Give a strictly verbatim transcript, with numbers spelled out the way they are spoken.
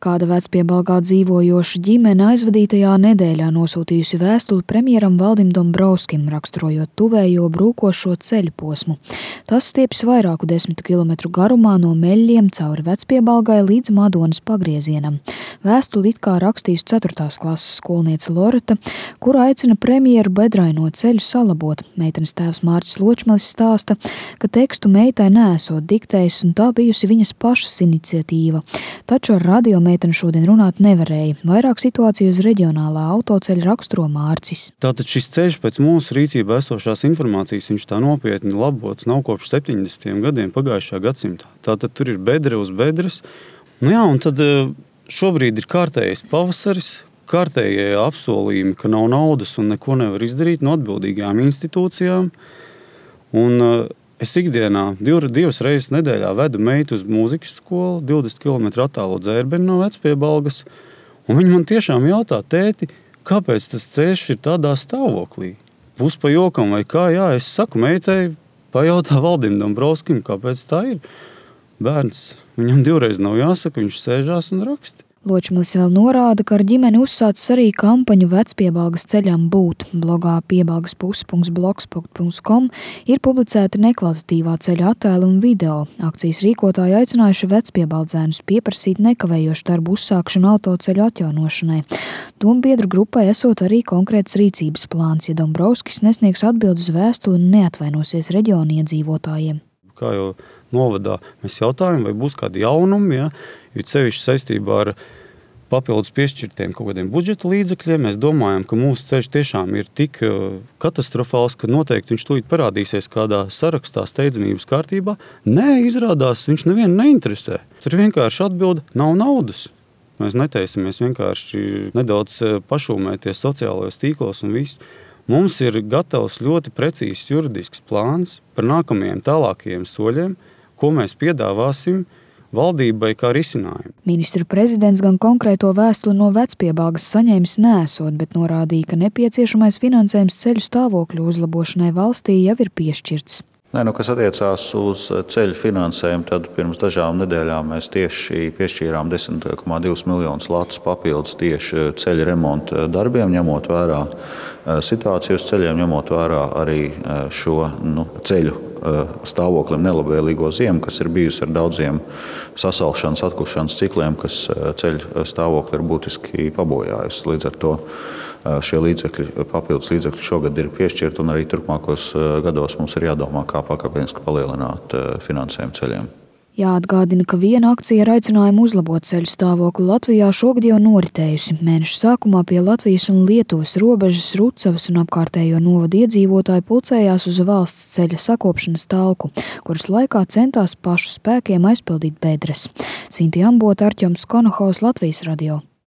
Kāda Vecpiebalgā dzīvojoša ģimene aizvadītajā nedēļā nosūtījusi vēstuli premjeram Valdim Dombrovskim, raksturojot tuvējo brūkošo ceļu posmu. Tas stiepjas vairāku desmitu kilometru garumā no Meļļiem cauri Vecpiebalgai līdz Madonas pagriezienam. Vēstuli it kā rakstījusi ceturtās klases skolniece Loreta, kura aicina premjeru bedraino ceļu salabot. Meitenes tēvs Mārcis Ločmelis stāsta, ka tekstu meitai neesot diktējis un tā bijusi viņas pašas iniciatīva. Taču ar radio meitene šodien runāt nevarēja. Vairāk situāciju uz reģionālā autoceļa raksturo Mārcis. Tātad šis ceļš pēc mūsu rīcībā esošās informācijas, viņš tā nopietni labots nav kopš septiņdesmitiem gadiem pagājušā gadsimtā. Tātad tur ir bedre uz bedres. Nu jā, un tad šobrīd ir kārtējais pavasaris, kārtējie apsolījumi, ka nav naudas un neko nevar izdarīt no atbildīgām institūcijām. Un es ikdienā div, divas reizes nedēļā vedu meitu uz mūzikas skolu, divdesmit kilometru attālo Dzērbeni no Vecpiebalgas, un viņi man tiešām jautā, tēti, kāpēc tas ceļš ir tādā stāvoklī? Pus pa jokam vai kā, jā, es saku meitai, pajautā Valdim Dombrovskim, kāpēc tā ir. Bērns, viņam divreiz nav jāsaka, viņš sēžās un raksta. Ločmelis vēl norāda, ka ar ģimeni uzsācis arī kampaņu Vecpiebalgas ceļam būt. Blogā piebalgaspuse punkts blogspot punkts com ir publicēti nekvalitatīvā ceļa attēli un video. Akcijas rīkotāji aicinājuši vecpiebaldzēnus pieprasīt nekavējošu darbu uzsākšanu autoceļu atjaunošanai. Dombiedru grupai esot arī konkrēts rīcības plāns, ja Dombrovskis nesniegs atbildi uz vēstuli un neatvainosies reģionu iedzīvotājiem. Kā jau novadā mēs jautājam, vai būs kādi jaunumi, ja? Jo cevišķi saistībā ar papildus piešķirtiem kaut kādiem budžeta līdzekļiem. Mēs domājam, ka mūsu ceļš tiešām ir tik katastrofāls, ka noteikti viņš tūlīt parādīsies kādā sarakstā steidzamības kārtībā. Nē, izrādās, viņš nevienu neinteresē. Tur vienkārši atbilda, nav naudas. Mēs netaisamies vienkārši nedaudz pašūmēties sociālajos tīklos un viss. Mums ir gatavs ļoti precīzs juridisks plāns par nākamajiem tālākajiem soļiem, ko mēs piedāvāsim valdībai kā risinājumu. Ministru prezidents gan konkrēto vēstuli no Vecpiebalgas saņēmis neesot, bet norādīja, ka nepieciešamais finansējums ceļu stāvokļu uzlabošanai valstī jau ir piešķirts. Nē, nu, kas attiecās uz ceļu finansējumu, tad pirms dažām nedēļām mēs tieši piešķīrām desmit komā divus miljonus latus papildus tieši ceļu remonta darbiem, ņemot vērā situāciju uz ceļiem, ņemot vērā arī šo nu, ceļu stāvoklim nelabvēlīgo ziemu, kas ir bijusi ar daudziem sasalšanas, atkušanas cikliem, kas ceļu stāvokli ir būtiski pabojājusi. Līdz ar to šie līdzekļi, papildus līdzekļi šogad ir piešķirti, un arī turpmākos gados mums ir jādomā, kā pakāpeniski palielināt finansējumu ceļiem. Jāatgādina, ka viena akcija ar aicinājumu uzlabot ceļu stāvokli Latvijā šogad jau noritējusi. Mēneša sākumā pie Latvijas un Lietuvas robežas Rucavas un apkārtējo novadu iedzīvotāji pulcējās uz valsts ceļa sakopšanas talku, kuras laikā centās pašu spēkiem aizpildīt bedres. Sinti Ambota, Arķoms Konohaus, Latvijas radio.